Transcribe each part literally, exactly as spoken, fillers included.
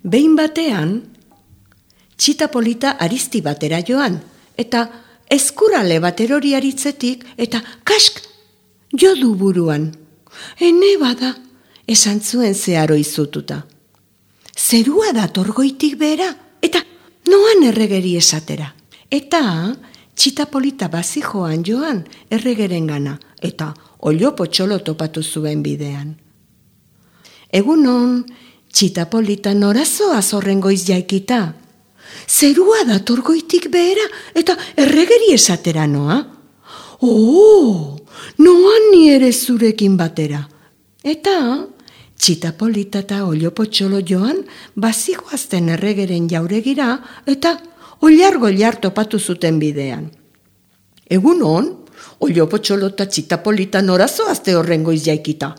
Behin batean, txita polita arizti batera joan, eta eskurale bat erori aritzetik, eta kask, jo du buruan. Ene bada, esan zuen zeharo izututa. Zerua dator goitik behera, eta noan erregeri esatera. Eta txita polita bazijoan joan erregeren gana, eta olio potxolo topatu zuen bidean. Egunon, txita polita norazoa zorren goiz jaikita. Zerua dator goitik behera, eta erregeri esatera noa. Oh, noan ni ere zurekin batera. Eta txita polita eta olio potxolo joan bazijoazten erregeren jauregira, eta oliar-goliar topatu zuten bidean. Egunon, olio potxolo eta txita polita norazoazte horren goiz jaikita.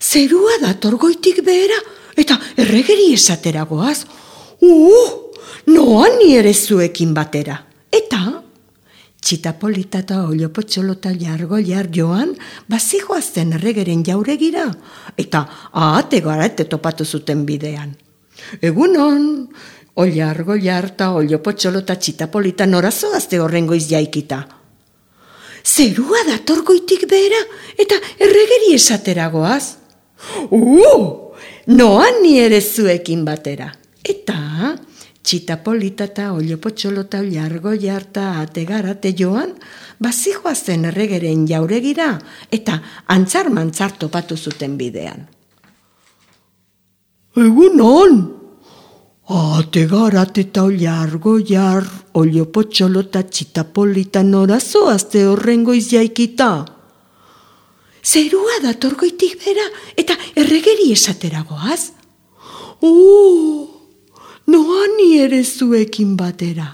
Zerua dator goitik behera, eta erregeri esatera goaz. Uh, noan ni ere zuekin batera. Eta txita polita eta olio potxolo eta oliar-goliar joan bazijoazten erregeren jauregira, eta ahate garate topatu zuten bidean. Egunon, oliar-goliar eta olio potxolo eta txita polita norazoazte horren goiz jaikita. Zerua dator goitik behera, eta erregeri esatera goaz. Uh, noan ni ere zuekin batera. Eta txita polita eta olio potxolo eta oliar-goliar eta ategarate joan bazijoazen erregeren jauregira, eta antzar-mantzar topatu zuten bidean. Egunon! Ategarat eta oliar-goliar, olio potxolo eta txita polita norazoazte horren goiz jaikita. Zerua dator goitik bera, eta erregeri esatera goaz. Uh, noan ni ere zuekin batera.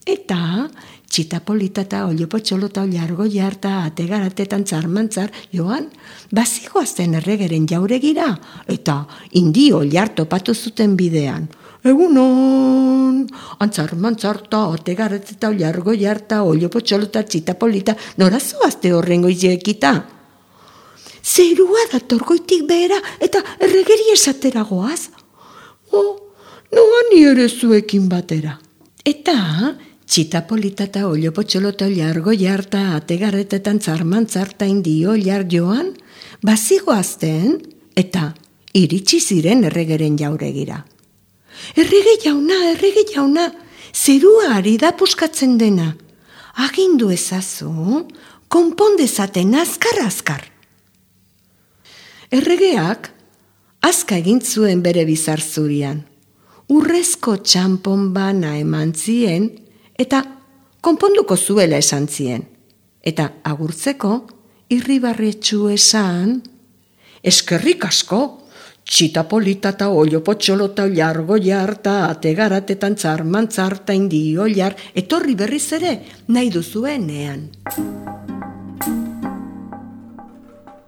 Eta txita polita eta olio potxolo eta oliar-goliar eta ategaratetan zarmantzar joan bazijoazten erregeren jauregira, eta indi oliar topatu zuten bidean. Egunon, antzar-mantzar eta ategarat eta oliar-goliar eta olio potxolo eta txita polita norazoazte horren goiz jaikita. Zerua dator goitik behera, eta erregeri esatera goaz. Oh, noan ni ere zuekin batera. Eta txita polita eta olio potxolo eta oliar-goliar eta ategarretetan zarmantzar eta indi oliar joan bazigoazten, eta iritsi ziren erregeren jauregira. Errege jauna, errege jauna, zerua ari da puskatzen dena. Agindu ezazu, konpondezaten azkar-azkar. Erregeak azka egin zuen bere bizar zurian. Urrezko txanpon bana eman zien, eta konponduko zuela esan zien. Eta agurtzeko irribarretxu esan, eskerrik asko, txita polita eta olio potxolo eta oliar-goliar eta ategaratetan zarmantzar eta indi oliar, etorri berriz ere nahi duzuenean.